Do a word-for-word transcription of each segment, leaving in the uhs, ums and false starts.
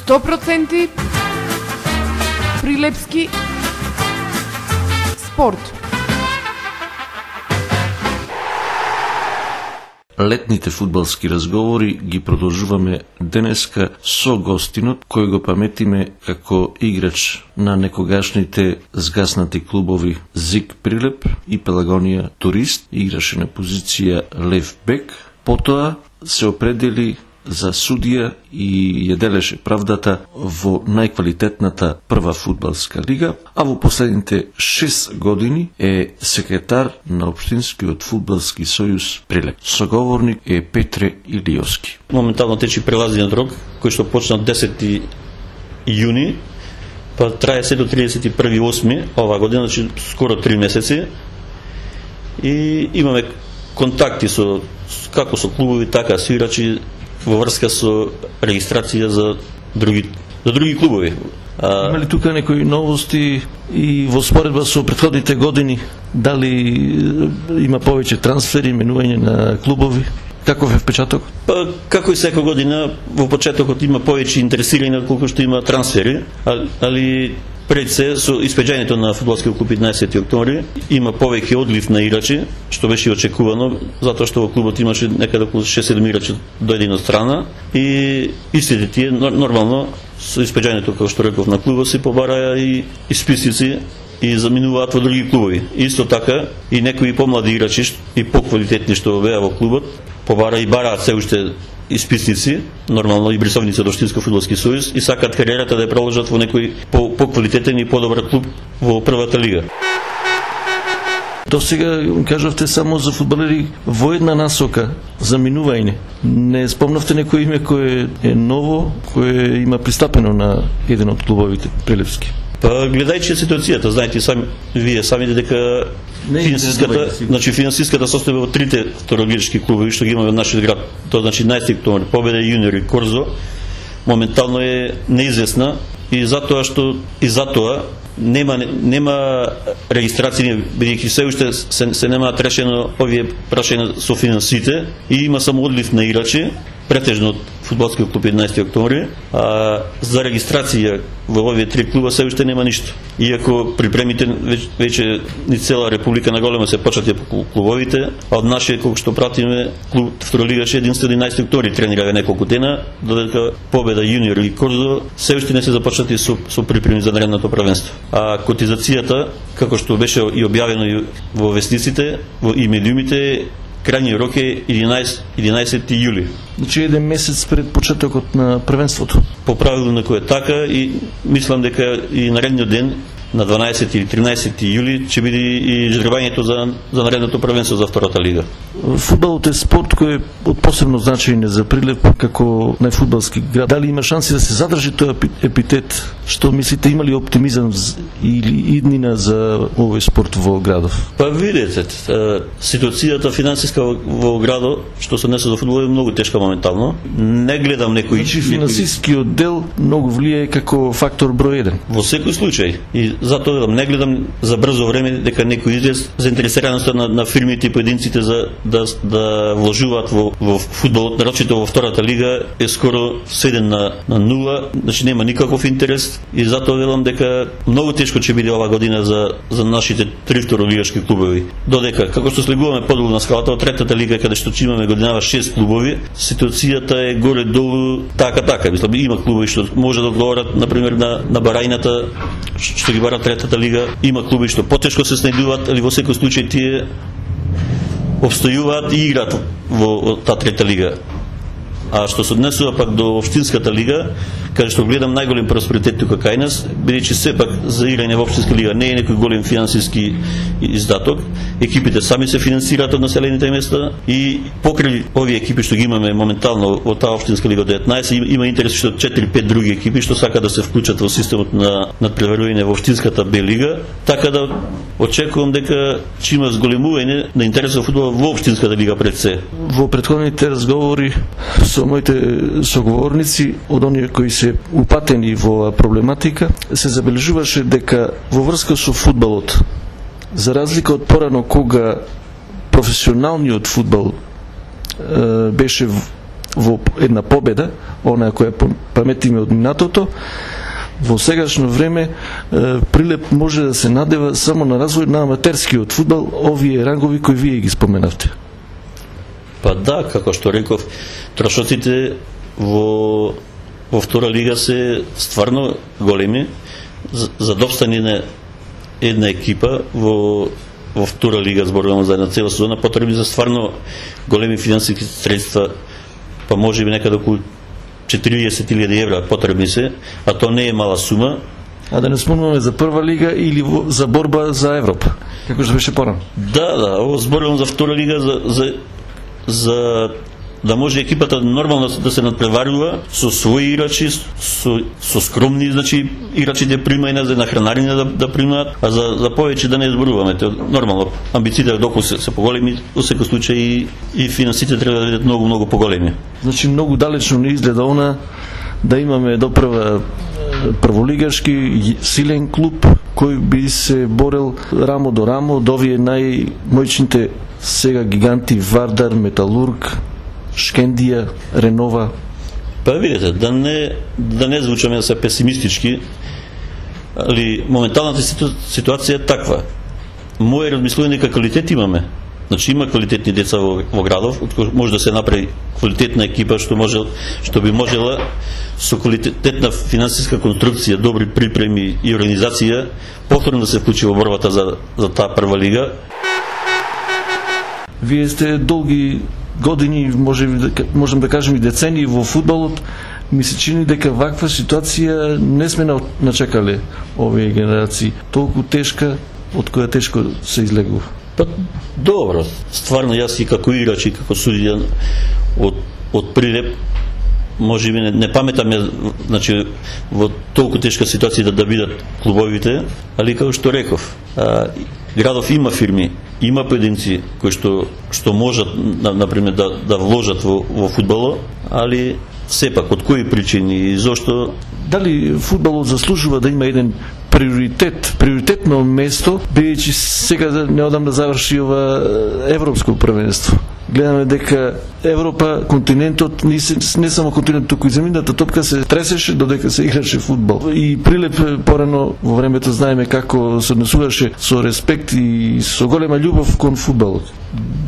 сто проценти Прилепски спорт. Летните фудбалски разговори ги продолжуваме денеска со гостинот кој го паметиме како играч на некогашните згаснати клубови ЗИК Прилеп и Пелагонија Турист, играше на позиција лев бек, потоа се определи за судија и ја делеше правдата во најквалитетната прва фудбалска лига, а во последните шест години е секретар на Општинскиот фудбалски сојуз Прилеп. Соговорник е Петре Илиовски. Моментално тече прелазниот рок, кој што почна десети јуни, па трае се до тридесет и први осми ова година, значи скоро три месеци. И имаме контакти со како со клубови, така со играчи во врска со регистрација за други за други клубови. А... Има ли тука некои новости и во споредба со претходните години? Дали има повеќе трансфери, менување на клубови? Каков е впечаток? Па, како и секоја година, во почетокот има повеќе интересирани колку што има трансфери, али пред се со испеѓањето на фудбалскиот клуб еднаесети октомври има повеќе одлив на играчи, што беше очекувано, затоа што во клубот имаше некаде околу шест-седум играчи дојде од страна и истите тие нормално со испеѓањето, како што реков, на клубот се побараја и исписници и заминуваат во други клубови. Исто така и некои помлади играчи и поквалитетни што беа во клубот побара и бараат се уште исписници, нормално и брисовници од Општински фудбалски сојуз и сакаат кариерата да ја продолжат во некој поквалитетен и подобар клуб во првата лига. До сега кажавте само за фудбалери во една насока, за минување. Не спомнавте некој име кое е ново, кое има пристапено на еден од клубовите прилепски? Па гледајќи ситуацијата, знаете сами вие самите дека финансиската, значи финансиската состојба во трите второлигашки клубови што ги имаме во нашиот град, тоа значи еднаесети октомври, Победа, Јуниор и Корзо, моментално е неизвестна и затоа што и затоа нема нема регистрација, бидејќи се уште се, се немаат решено овие прашања со финансите и има само одлив на играчи, претежно од фудбалскиот клуб еднаесети октомври, а за регистрација во овие три клуба се уште нема ништо. Иако припремите веќе ни цела република на голема се почати по клубовите, а од нашиот колку што пратиме клуб второлигаш единствено еднаесети октомври тренирава неколку дена, додека Победа, Јуниор и Корзо се уште не се започнати со, со припреми за наредното првенство. А котизацијата, како што беше и објавено и во вестниците, во и медиумите, крајниот рок е единаесети јули. Значи еден месец пред почетокот на првенството. По правило некој е така и мислам дека и наредниот ден на дванаесети или тринаесети јули ќе биде и жребањето за за наредното првенство за втората лига. Фудбалот е спорт кој е од посебно значење за Прилеп како најфудбалски град. Дали има шанси да се задржи тој епитет? Што мислите, има ли оптимизам или иднина за овој спорт во градов? Па видете, ситуацијата финансиска во градот што се однесе за фудбал е многу тешка моментално. Не гледам некој Значи финансискиот дел многу влијае како фактор број еден. Во секој случај и затоа не гледам за брзо време дека некој израз заинтересираноста на, на фирмите и поединците за да да вложуваат во во фудбалот, нарочито во втората лига е скоро сведен на на нула, значи нема никаков интерес и затоа велам дека многу тешко ќе биде ова година за за нашите три второлигашки клубови. Додека како што слегуваме подолу на скалата од третата лига каде што ќе имаме годинава шест клубови, ситуацијата е горе долу така така. Мислам има клубови што може да одговорат на пример на на барајната што ги бара третата лига, има клуби што потешко се снајдуваат, али во секој случај тие обстојуваат и играат во таа трета лига. А што се однесува пак до Општинската лига, каде што гледам најголем просперитет тука кај нас, бидејќи сепак за играње во Општинска лига не е некој голем финансиски издаток, екипите сами се финансираат од населените места и покрај овие екипи што ги имаме моментално во таа Општинска лига деветнаесет, има интерес што четири-пет други екипи што сакаат да се вклучат во системот на надпреварување во Општинската Б лига, така да очекувам дека ќе има зголемување на интересот во фудбал во Општинската лига пред се. Во претходните разговори со моите соговорници од оние кои се упатени во проблематика, се забележуваше дека во врска со фудбалот, за разлика од порано кога професионалниот фудбал е, беше во една победа, она која паметиме од минатото. Во сегашно време Прилеп може да се надева само на развој на аматерскиот фудбал, овие рангови кои вие ги споменавте. Па да, како што реков, трошоците во во втора лига се стварно големи. За, за да обстане на една екипа во во втора лига, зборувам за една цела сезона, потребни за стварно големи финансиски средства, па може би некаде околу четириесет илјади евра потребни се, а тоа не е мала сума. А да не спомнуваме за прва лига или за борба за Европа, како што беше порано. Да, да, ово зборувам за втора лига, за, за, за да може екипата нормално да се надпреварува со своји играчи, со, со скромни, значи играчите примајна за нахранарина да, да примаат, а за, за повеќе да не зборуваме. Те, нормално, амбициите доколку се, се поголеми, во секој случај и, и финансите треба да бидат многу, многу поголеми. Значи многу далечно не изгледа она да имаме допрва прволигашки силен клуб кој би се борел рамо до рамо до овие најмоćните сега гиганти Вардар, Металург, Шкендија, Ренова. Па видите, да не, да не звучаме да се песимистички, али моменталната ситуација е таква. Моје размислување дека квалитет имаме. Значи има квалитетни деца во, во градов, може да се направи квалитетна екипа што може што би можела со квалитетна финансиска конструкција, добри припреми и организација повторно да се вклучи во борбата за за таа прва лига. Вие сте долги години, може можем да кажем и децении во фудбалот. Ми се чини дека ваква ситуација не сме начекале овие генерации. Толку тешка, од која тешко се излегува. Па добро, стварно јас и како играч и како судија од од Прилеп може би не, не паметаме, значи во толку тешка ситуација да, да бидат клубовите, али како што реков, а, градов има фирми, има поединци кои што што можат на, например да да вложат во во фудбалот, али сепак од кои причини и зошто? Дали фудбалот заслужува да има еден приоритет, приоритетно место, бидејќи сега неодамна заврши ова европско првенство. Гледаме дека Европа, континентот, не, не само континентот, туку и земјината топка се тресеше додека се играше фудбал. И Прилеп порано во времето знаеме како се однесуваше со респект и со голема љубов кон фудбалот.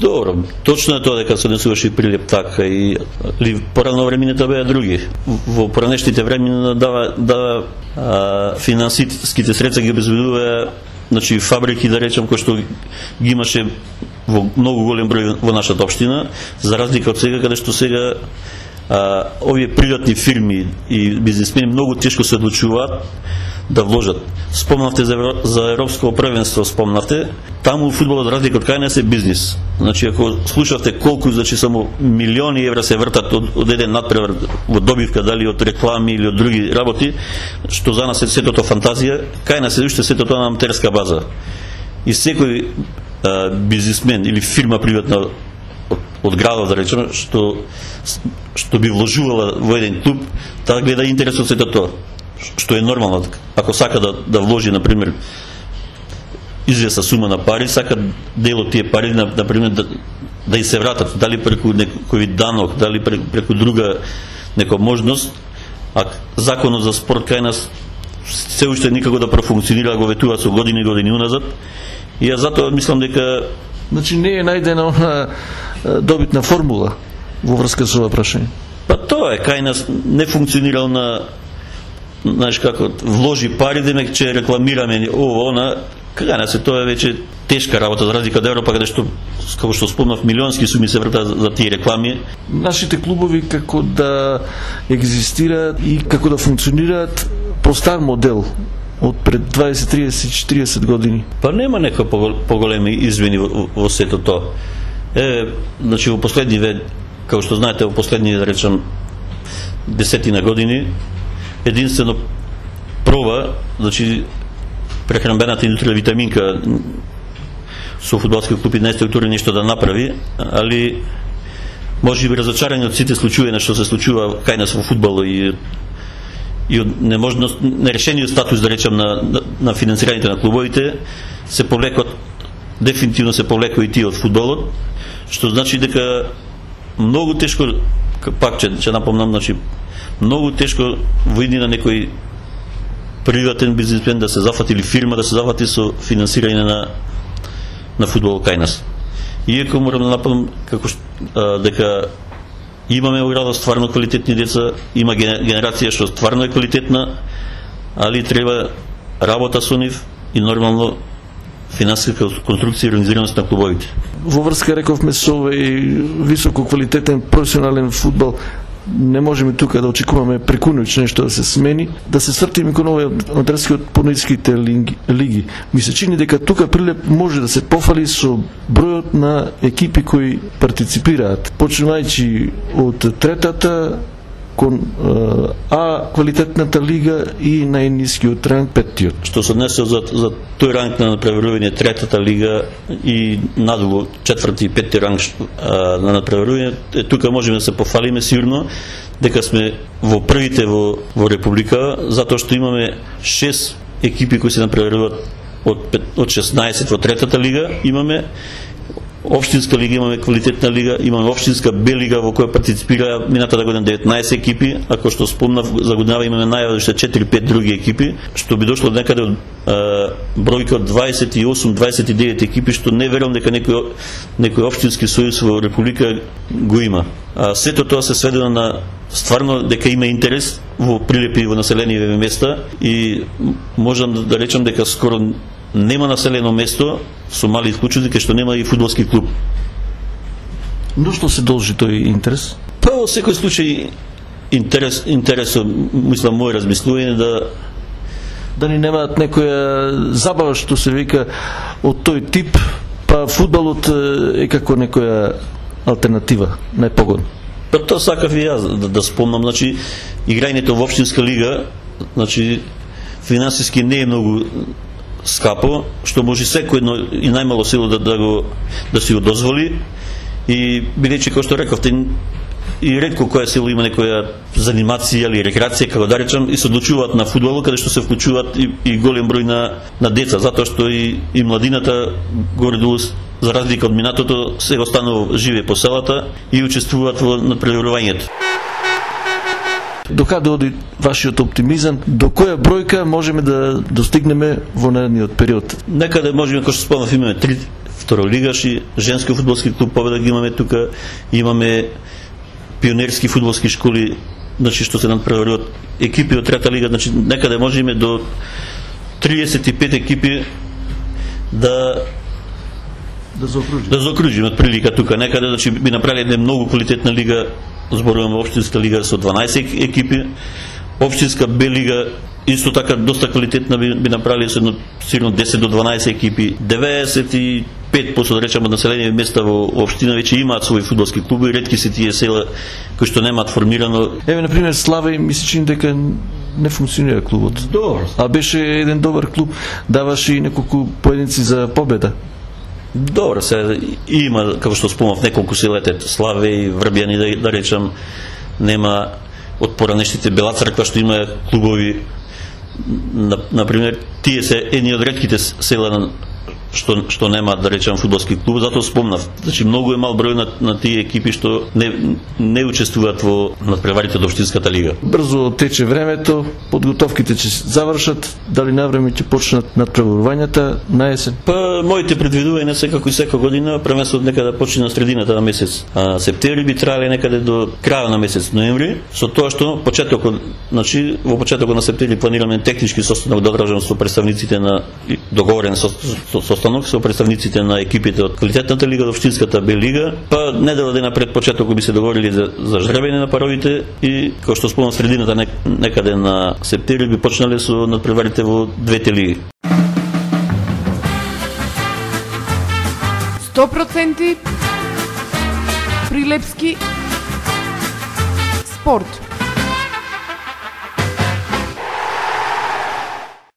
Добро, точно е тоа дека се однесуваше и Прилеп така, и ли порано времината беа други. Во поранешните времена да да а, финансиските средства ги обезбедува, значи фабрики, да речем, кои што ги имаше во многу голем број во нашата општина, за разлика од сега, каде што сега а, овие приватни фирми и бизнисмени многу тешко се одлучуваат да вложат. Спомнавте за, за европско првенство, спомнавте, таму фудбалот, разлика од кај нас, е бизнис. Значи, ако слушавте колку, значи, само милиони евра се вртат од, од еден надпревар во добивка, дали од реклами или од други работи, што за нас е сетото фантазија, кај нас е уште сетото на аматерска база. И секој а, бизнисмен или фирма приватна од, од градот, да речеме, што што би вложувала во еден клуб, таа гледа интерес од сето тоа, што е нормално. Ако сака да, да вложи, например, известна сума на пари, сака дел од тие пари, например, да, да и се вратат, дали преку некој данок, дали преку друга нека можност, а законот за спорт кај нас се уште никако да профункционира, го ветува со години и години уназад, и ја затоа мислам дека... Значи не е најдена она добитна формула во врска со ова прашање? Па тоа е, кај нас не функционира на, знаеш како, вложи пари, демек че рекламираме ово, она, кај нас е тоа веќе тешка работа, за разлика од Европа, каде што, како што спомнав, милионски суми се вртат за, за тие реклами. Нашите клубови како да екзистираат и како да функционираат по стар модел од пред дваесет, триесет, четириесет години. Па нема нека поголеми измени во, во сето тоа. Е, значи во последни, како што знаете, во последни, да речам, десетина години, единствено проба, значи прехранбената индустрија витаминка со фудбалски клуб еднаесет октомври нешто да направи, али може би разочарани од сите случаи што се случува кај нас во фудбалот и и од неможност, нерешениот статус, да речем, на, на, на финансираните на клубовите, се повлекот, дефинитивно се повлеко и тие од фудбалот, што значи дека многу тешко пак ќе ќе напомнам, значи многу тешко во иднина некој приватен бизнисмен да се зафати или фирма да се зафати со финансирање на на фудбал кај нас. Иако морам да напомнам како а, дека имаме во градот стварно квалитетни деца, има генерација што стварно е квалитетна, али треба работа со нив и нормално финансиска конструкција и организираност на клубовите. Во врска рековме со овој високо квалитетен професионален фудбал, не можеме тука да очекуваме прекуноќ нешто да се смени, да се свртиме кон овој одрески од пониските лиги. Ми се чини дека тука Прилеп може да се пофали со бројот на екипи кои партиципираат, почнувајќи од третата кон А квалитетната лига и најнискиот ранг петтиот. Што се однесе за, за тој ранг на надпреварување третата лига и надолу четврти и петти ранг а, на надпреварување, тука можеме да се пофалиме сигурно дека сме во првите во, во Република, затоа што имаме шест екипи кои се надпреваруваат од, од шеснаесет во третата лига, имаме општинска лига, имаме квалитетна лига, имаме општинска Б лига во која партиципира минатата година деветнаесет екипи, ако што спомнав за годинава имаме најава уште четири-пет други екипи, што би дошло некаде од бројка од дваесет и осум до дваесет и девет екипи, што не верувам дека некој некој општински сојуз во Република го има. А сето тоа се сведено на стварно дека има интерес во Прилеп и во населени места и можам да речам дека скоро нема населено место со мали исклучоци кај што нема и фудбалски клуб. Но што се должи тој интерес? Па во секој случај интерес интересот, мислам, мој размислување да да ни немаат некоја забава што се вика од тој тип, па фудбалот е како некоја алтернатива, најпогодна. Па тоа сакав и јас да, да спомнам, значи играњето во општинска лига, значи финансиски не е многу скапо, што може секој едно и најмало село да, да го да си го дозволи и бидејќи кој што рековте и ретко која село има некоја занимација или рекреација, како да речам, и се одлучуваат на фудбал, каде што се вклучуваат и, и голем број на, на деца, затоа што и, и младината горе-долу, за разлика од минатото, се останува живе по селата и учествуваат во надпреварувањето. До каде оди вашиот оптимизам? До која бројка можеме да достигнеме во наредниот период? Некаде можеме, како што спомнав, имаме три второлигаши, женски фудбалски клуб Победа ги имаме тука, имаме пионерски фудбалски школи, значи што се надпреваруваат екипи од трета лига, значи некаде можеме до триесет и пет екипи да да заокружиме. Да заокружиме од прилика тука. Некаде значи би направиле една многу квалитетна лига, зборуваме општинска лига со дванаесет екипи, општинска Б лига исто така доста квалитетна би, би направиле со сигурно десет до дванаесет екипи, деветдесет и пет проценти да речеме од населени места во општина веќе имаат своји фудбалски клубови, ретки се тие села кои што немаат формирано. Еве на пример Славе ми се чини дека не функционира клубот. Добро. А беше еден добар клуб, даваше и неколку поединци за победа. Добро, се има, како што спомнав, неколку селете, Славе и Врбјани, да, да речам, нема од поранешните Бела црква што има клубови. На, например, тие се едни од ретките села што што немаат, да речем, фудбалски клуб, затоа спомнав. Значи многу е мал број на, на тие екипи што не не учествуваат во надпреварите од општинската лига. Брзо тече времето, подготовките ќе се завршат, дали навреме ќе почнат надпреварувањата на есен? Па моите предвидувања се како и секоја година, првенството некаде да почне на средината на месец а, септември, би трале некаде до крајот на месец ноември, со тоа што почетокот, значи во почетокот на септември планираме технички состанок да одржам со представниците на договорен со, со, со со представниците на екипите од квалитетната лига, од општинската Б лига, па недела дена пред почетокот би се договорили за, за жребење на паровите и, како што спомнам, средината нек, некаде на септември би почнале со надпреварите во двете лиги. сто проценти Прилепски спорт.